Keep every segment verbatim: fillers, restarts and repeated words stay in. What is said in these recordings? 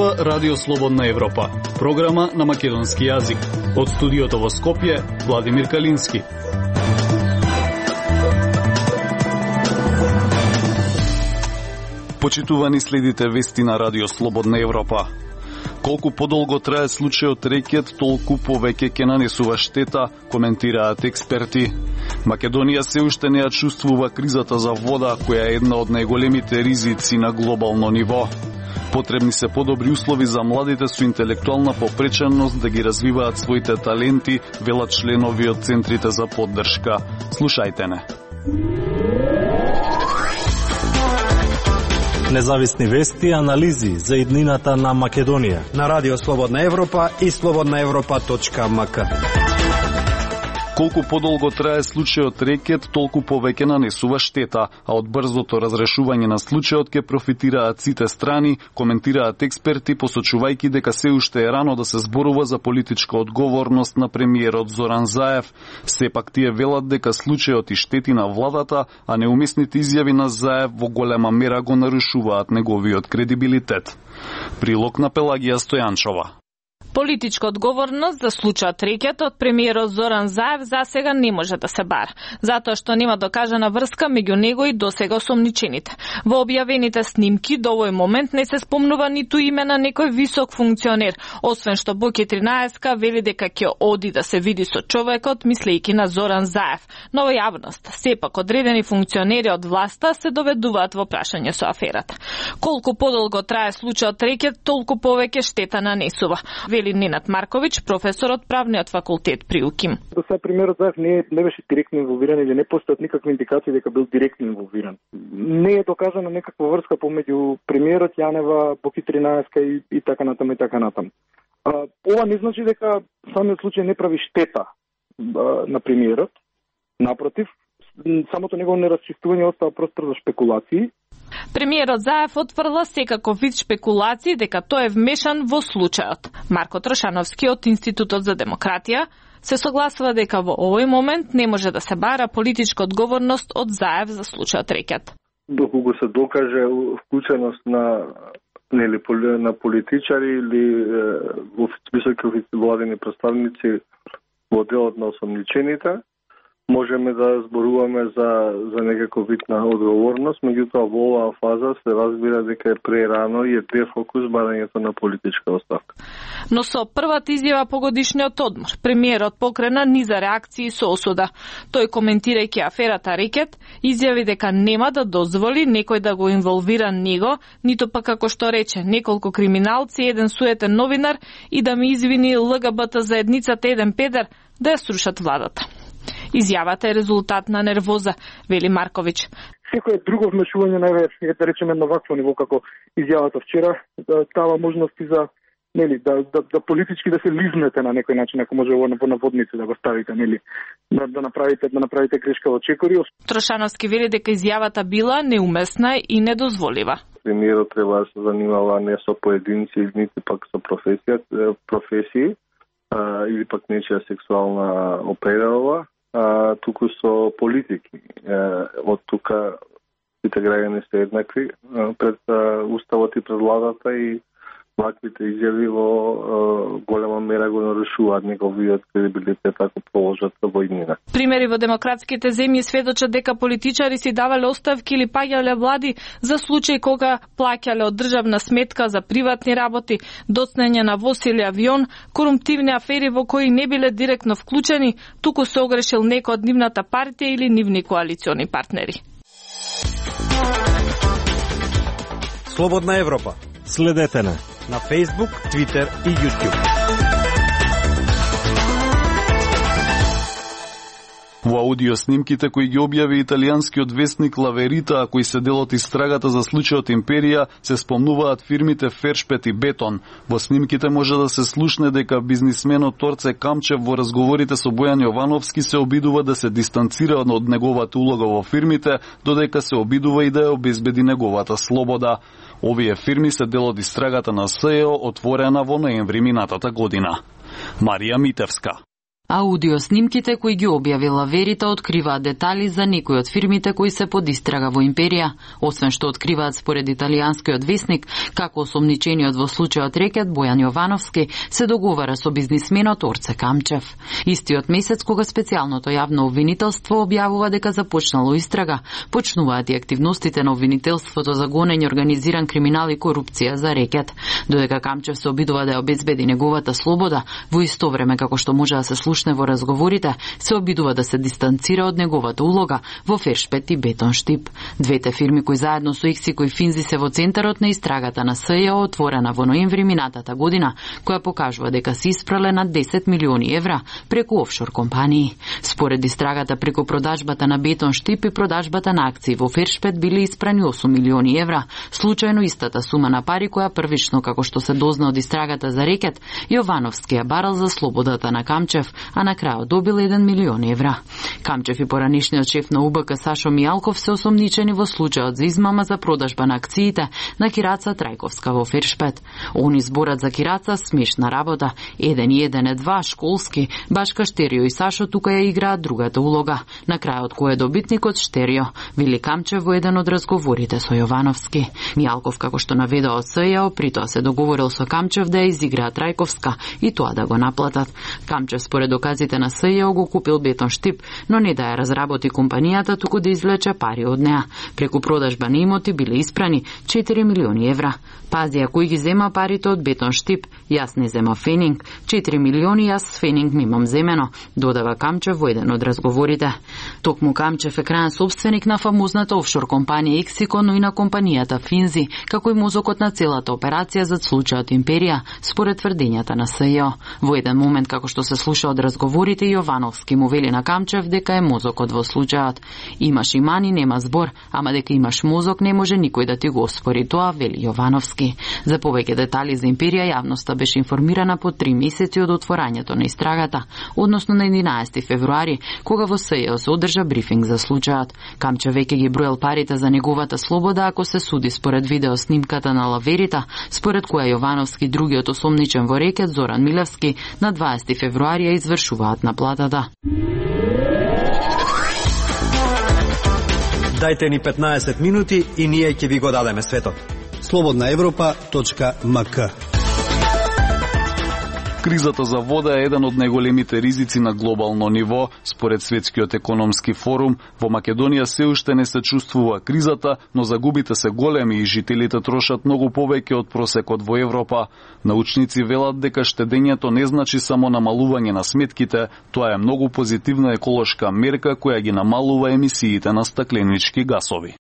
Зборува Радио Слободна Европа, програма на македонски јазик. Од студиото во Скопје, Владимир Калински. Почитувани следите вести на Радио Слободна Европа. Колку подолго трае случајот рекет, толку повеќе ќе нанесува штета, коментираат експерти. Македонија се уште не ја чувствува кризата за вода, која е една од најголемите ризици на глобално ниво. Потребни се подобри услови за младите со интелектуална попреченост да ги развиваат своите таленти, велат членови од центрите за поддршка. Слушајте не. Независни вести и анализи за иднината на Македонија на Радио Слободна Европа и слободна европа точка ем ка. Колку подолго трае случајот рекет, толку повеќе нанесува штета, а од брзото разрешување на случајот ќе профитираат сите страни, коментираат експерти, посочувајќи дека се уште е рано да се зборува за политичка одговорност на премиерот Зоран Заев. Сепак тие велат дека случајот и штети на владата, а неуместните изјави на Заев во голема мера го нарушуваат неговиот кредибилитет. Прилог на Пелагија Стојанчова. Политичка одговорност за случајот рекет од премиерот Зоран Заев засега не може да се бара, затоа што нема докажана врска меѓу него и досега осомничените. Во објавените снимки до овој момент не се спомнува ниту име на некој висок функционер, освен што Боки тринаесетка вели дека ќе оди да се види со човекот, мислејќи на Зоран Заев. Но во јавност, сепак одредени функционери од власта се доведуваат во прашање со аферата. Колку подолго трае случајот рекет, толку повеќе штета нанесува. Ненад Марковиќ, професор од правниот факултет при УКИМ. До сега премиерот Заев не, не беше директно инволвиран или не постојат никакви индикации дека бил директно инволвиран. Не е докажана некаква врска помеѓу премиерот Јанева, Боки тринаесетка и, и така натаму и така натаму. А, ова не значи дека самиот случај не прави штета а, на премиерот. Напротив, самото негово неразчистување остава простор за шпекулации. Премиерот Заев отврла секаков вид шпекулации дека тој е вмешан во случајот. Марко Трошановски од Институтот за демократија се согласува дека во овој момент не може да се бара политичка одговорност од Заев за случајот рекет. Доколку се докаже вклученост на нели на политичари или е, високи владени представници во делот на осомничените, можеме да зборуваме за за некаков вид на одговорност, меѓутоа во оваа фаза се разбира дека е прерано и е дефокус барањето на политичка оставка. Но со првата изјава по годишниот одмор, премиерот покрена низа реакции со осуда. Тој, коментирајќи аферата рекет, изјави дека нема да дозволи некој да го инволвира него, ниту пак како што рече неколку криминалци, еден суетен новинар и да ми извини ЛГБТ заедницата еден педер да ја срушат владата. Изјавата е резултат на нервоза, вели Марковиќ. Секој друго вмешување, најверојатно, да речеме на вакво ниво како изјавата вчера, да дава можности за нели да, да да политички да се лизнете на некој начин, ако може во наводници да го ставите, нели, да, да направите да направите грешка во чекори. Трошановски вели дека изјавата била неуместна и недозволива. Премиерот треба да се занимава не со поединци, нити пак со професија, професии, а, или пак нечија сексуална операва, а, туку со политики. А, од тука сите граѓани се еднакви а, пред а, уставот и пред владата и ваквите изјави во а, голема мера го нарушуваат неговиот кредибилитет ако положат во иднина. Примери во демократските земји сведочат дека политичари си давале оставки или паѓале влади за случај кога плаќале од државна сметка за приватни работи, доцнење на воз или авион, корумптивни афери во кои не биле директно вклучени, туку се огрешил некој од нивната партија или нивни коалициони партнери. Слободна Европа. Следете на на Facebook, Twitter и YouTube. Во аудиоснимките кои ги објави италијанскиот вестник Ла Верита, а кои се дел од истрагата за случајот Империја, се спомнуваат фирмите Фершпет и Бетон. Во снимките може да се слушне дека бизнисменот Торце Камчев во разговорите со Бојан Јовановски се обидува да се дистанцира од неговата улога во фирмите, додека се обидува и да ја обезбеди неговата слобода. Овие фирми се дел од истрагата на СЕО, отворена во ноември минатата година. Марија Митевска. Аудиоснимките кои ги објавила Верита откриваат детали за некои од фирмите кои се под истрага во империја, освен што откриваат според италијанскиот весник како осомничениот во случајот рекет Бојан Јовановски се договара со бизнисменот Орце Камчев. Истиот месец кога специјалното јавно обвинителство објавува дека започнало истрага, почнуваат и активностите на обвинителството за гонење организиран криминал и корупција за рекет, додека Камчев се обидува да ја обезбеди неговата слобода, во исто време како што може да се слушне во разговорите, се обидува да се дистанцира од неговата улога во Фершпет и Бетонштип. Двете фирми кои заедно со Иксико и Финзи се во центарот на истрагата на СЈО отворена во ноември минатата година, која покажува дека се испрале над десет милиони евра преку офшор компании. Според истрагата преку продажбата на Бетонштип и продажбата на акции во Фершпет биле испрани осум милиони евра, случајно истата сума на пари која првично, како што се дозна од истрагата за рекет, Јовановски ја барал за слободата на Камчев, а на крајот добил еден милион евра. Камчев и поранишниот шеф на УБК Сашо Мијалков се осомничени во случајот за измама за продажба на акциите на Кираца Трајковска во Фершпет. Они зборат за Кираца смешна работа, еден и еден е два, школски, башка Штерио и Сашо тука ја играат другата улога. На крајот кој е добитникот Штерио, вели Камчев во еден од разговорите со Јовановски. Мијалков, како што наведа од СЈО, при тоа се договорил со Камчев да ја изиграа Трајковска и тоа да го наплатат. Камчев според доказите на СЈО го купил Бетонштип, но не да ја разработи компанијата, туку да извлече пари од неа. Преку продажба на имоти биле испрани четири милиони евра. Пази, а кој ги зема парите од Бетонштип? Јас не зема Фенинг. четири милиони јас с Фенинг мимам земено, додава Камчев во еден од разговорите. Токму Камчев е крајен собственик на фамозната офшор компанија Иксико, но и на компанијата Финзи, како и мозокот на целата операција за случајот Империја, според тврдењата на СЈО. Во еден момент, како што се слуша од разговорите, Јовановски му вели на Камчев дека е мозокот во случајот. Имаш имани, нема збор, ама дека имаш мозок не може никој да ти го оспори тоа, вели Јовановски. За повеќе детали за Империја јавноста беше информирана по три месеци од отворањето на истрагата, односно на единаесети февруари, кога во СЈО се одржа брифинг за случајот. Камчев веќе ги броел парите за неговата слобода ако се суди според видеоснимката на Лаверита, според која Јовановски, другиот осомничен во рекет Зоран Милевски, на дваесети февруари ја извршуваат наплатата. Дајте ни петнаесет минути и ние ќе ви го дадеме светот. слободна европа точка ем ка. Кризата за вода е еден од најголемите ризици на глобално ниво. Според Светскиот економски форум, во Македонија се уште не се чувствува кризата, но загубите се големи и жителите трошат многу повеќе од просекот во Европа. Научници велат дека штедењето не значи само намалување на сметките, тоа е многу позитивна еколошка мерка која ги намалува емисиите на стакленички гасови.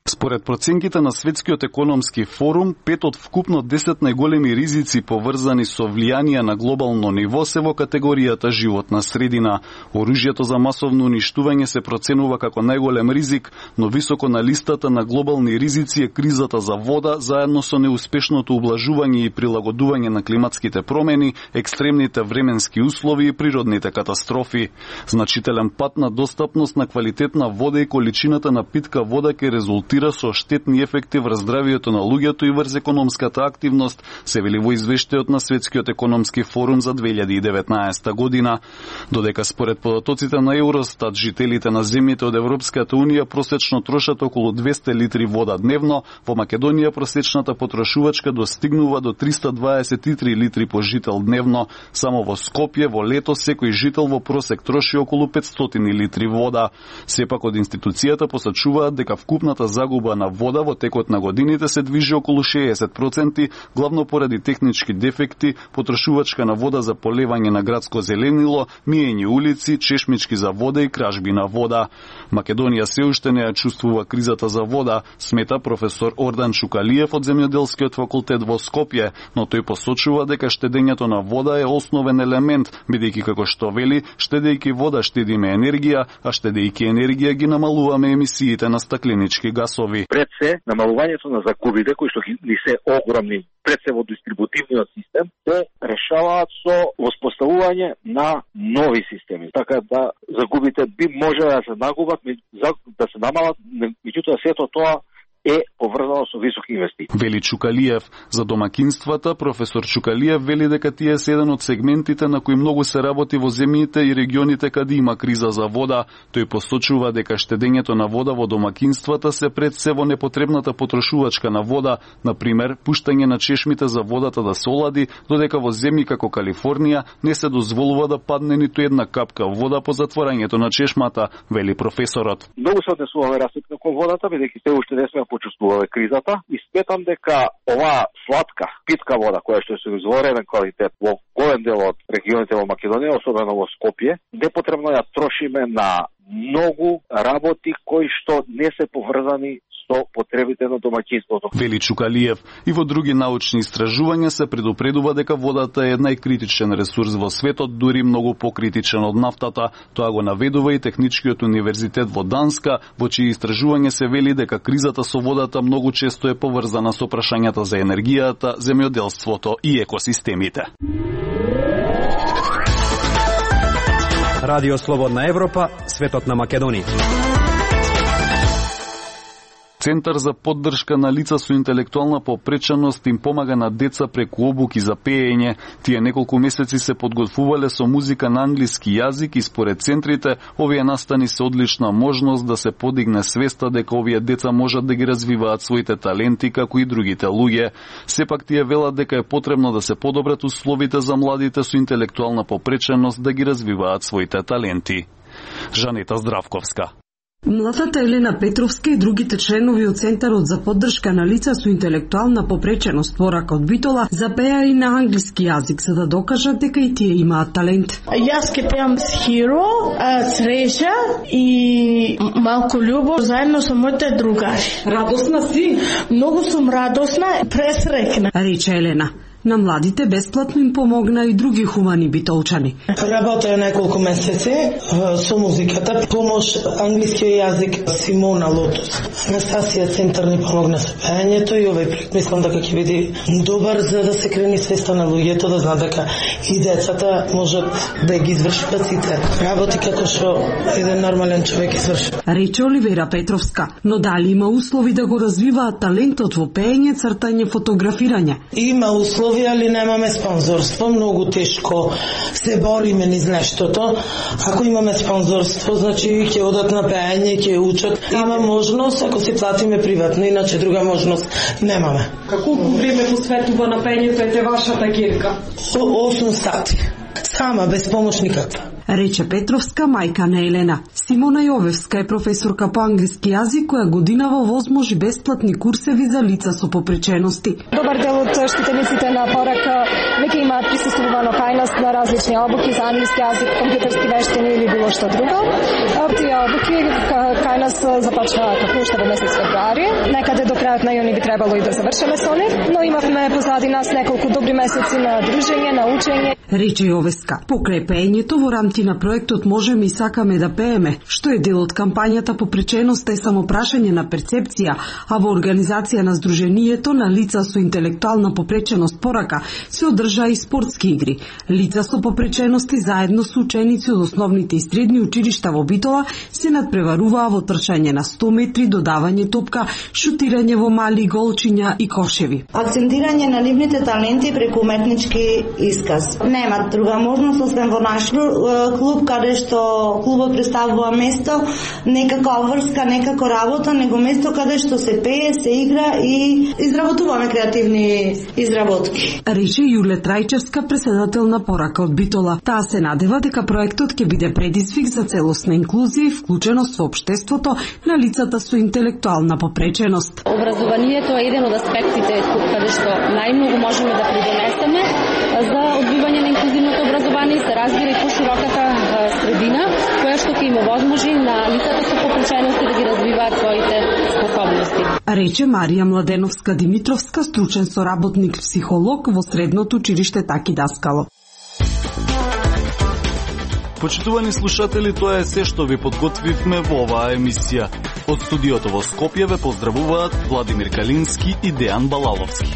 Според проценките на Светскиот економски форум, пет од вкупно десет најголеми ризици поврзани со влијанија на глобално ниво се во категоријата животна средина. Оружјето за масовно уништување се проценува како најголем ризик, но високо на листата на глобални ризици е кризата за вода, заедно со неуспешното ублажување и прилагодување на климатските промени, екстремните временски услови и природните катастрофи. Значителен пат на достапност на квалитетна вода и количината на питка вода ќе резултира со штетни ефекти врз здравието на луѓето и врз економската активност, се вели во извештајот на Светскиот економски форум за две илјади и деветнаесета година. Додека според податоците на Евростат, жителите на земјите од Европската унија просечно трошат околу двесте литри вода дневно, во Македонија просечната потрошувачка достигнува до триста дваесет и три литри по жител дневно. Само во Скопје во лето секој жител во просек троши околу петстотини литри вода. Сепак од институцијата посочуваат дека вкупната загуба на вода во текот на годините се движи околу шеесет проценти, главно поради технички дефекти, потрошувачка на вода за полевање на градско зеленило, миење улици, чешмички за вода и кражби на вода. Македонија се уште не ја чувствува кризата за вода, смета професор Ордан Чукалиев од Земјоделскиот факултет во Скопје, но тој посочува дека штедењето на вода е основен елемент, бидејќи како што вели, штедејќи вода штедиме енергија, а штедејќи енергија ги намалуваме емисиите на стакленички гасови. Пред се, намалувањето на загубите, кои што ни се огромни, пред се во дистрибутивниот систем, се решаваат со воспоставување на нови системи. Така да загубите би може да се нагубат, да се намалат, меѓутоа сето тоа е поврзано со високи инвестиции. Вели Чукалиев. За домакинствата, професор Чукалиев вели дека тие се еден од сегментите на кои многу се работи во земјите и регионите каде има криза за вода. Тој посочува дека штедењето на вода во домакинствата се пред се во непотребната потрошувачка на вода, на пример, пуштање на чешмите за водата да се олади, додека во земји како Калифорнија не се дозволува да падне ниту една капка вода по затворањето на чешмата, вели професорот. Многу се однесуваме расипно кон водата, бидејќи се уште не сме почувствувале кризата и сметам дека оваа сладка, питка вода која што се изворен квалитет во голем дел од регионите во Македонија, особено во Скопје, непотребно ја трошиме на многу работи кои што не се поврзани со потребите на домаќинството. Вели Чукалиев. И во други научни истражувања се предупредува дека водата е најкритичен ресурс во светот, дури многу покритичен од нафтата. Тоа го наведува и Техничкиот универзитет во Данска, во чии истражување се вели дека кризата со водата многу често е поврзана со прашањата за енергијата, земјоделството и екосистемите. Радио Слободна Европа, светот на Македонија. Центар за поддршка на лица со интелектуална попреченост им помага на деца преку обуки за пеење. Тие неколку месеци се подготвувале со музика на англиски јазик и според центрите, овие настани се одлична можност да се подигне свеста дека овие деца можат да ги развиваат своите таленти како и другите луѓе. Сепак тие велат дека е потребно да се подобрат условите за младите со интелектуална попреченост да ги развиваат своите таленти. Жанета Здравковска. Младата Елена Петровска и другите членови од Центарот за поддршка на лица со интелектуална попреченост Порака од Битола запеа и на англиски јазик за да докажат дека и тие имаат талент. Јас ке пеам с Хиро, Среќа и малку љубов заедно со моите другари. Радосна си? Многу сум радосна, пресрекна, рече Елена. На младите бесплатно им помогна и други хумани битолчани. Работеа неколку месеци со музиката, помош англиски јазик Симона Лотус. Анастасија Центар ни помогна со пеењето и овој проект мислам дека ќе биде добар за да се крени свеста на луѓето, да знаат дека и децата можат да ги извршуваат сите работи како што еден нормален човек извршува. Рече Оливера Петровска, но дали има услови да го развиваат талентот во пеење, цртање, фотографирање? Има услови, али немаме спонзорство, многу тешко се бориме низ нештото. Ако имаме спонзорство, значи ќе одат на пеење, ќе учат. Има можност ако се платиме приватно, иначе друга можност немаме. Колку време посветува на пеењето е вашата кирка? осум сати. Сама, без помош никаква. Рече Петровска, мајка на Елена. Симона Јовевска е професорка по англиски јазик која годинава возможи бесплатни курсеви за лица со попречености. Добар дел од штитениците на Порака веќе имаат присуствувано кај нас на различни обуки за англиски јазик, компјутерски вештини или било што друго. Тие обуки кај нас започнаа како уште во месец февруари. Некаде до крајот на јуни би требало и да завршиме со нив, но имавме позади нас неколку добри месеци на дружење, на учење. Рече Јовевска. Покрај пеењето во рамки на проектот Можеме и сакаме да пееме, што е дел од кампањата попреченоста е само прашање на перцепција, а во организација на Сдруженијето на лица со интелектуална попреченост Порака се одржаа и спортски игри. Лица со попречености заедно со ученици од основните и средни училишта во Битола се надпреваруваа во трчање на сто метри, додавање топка, шутирање во мали голчиња и кошеви. Акцентирање на нивните таленти преку уметнички исказ. Немат друга можност освен во наш клуб, каде што клубот представува место не како врска, не како работа, него место каде што се пее, се игра и изработуваме креативни изработки. Рече Јуле Трајчевска, председател на Порака од Битола. Таа се надева дека проектот ќе биде предизвик за целосна инклузија и вклученост во општеството на лицата со интелектуална попреченост. Образованието е еден од аспектите каде што најмногу можеме да придонесеме за одбивање на инклузивното образование и се разбира и пошироката средина, која што ќе им овозможи на лицата со попречености да ги развиваат своите способности. Рече Марија Младеновска Димитровска, стручен соработник психолог во средното училиште Таки Даскало. Почитувани слушатели, тоа е се што ви подготвивме во оваа емисија. Од студиото во Скопје ве поздравуваат Владимир Калински и Дејан Балаловски.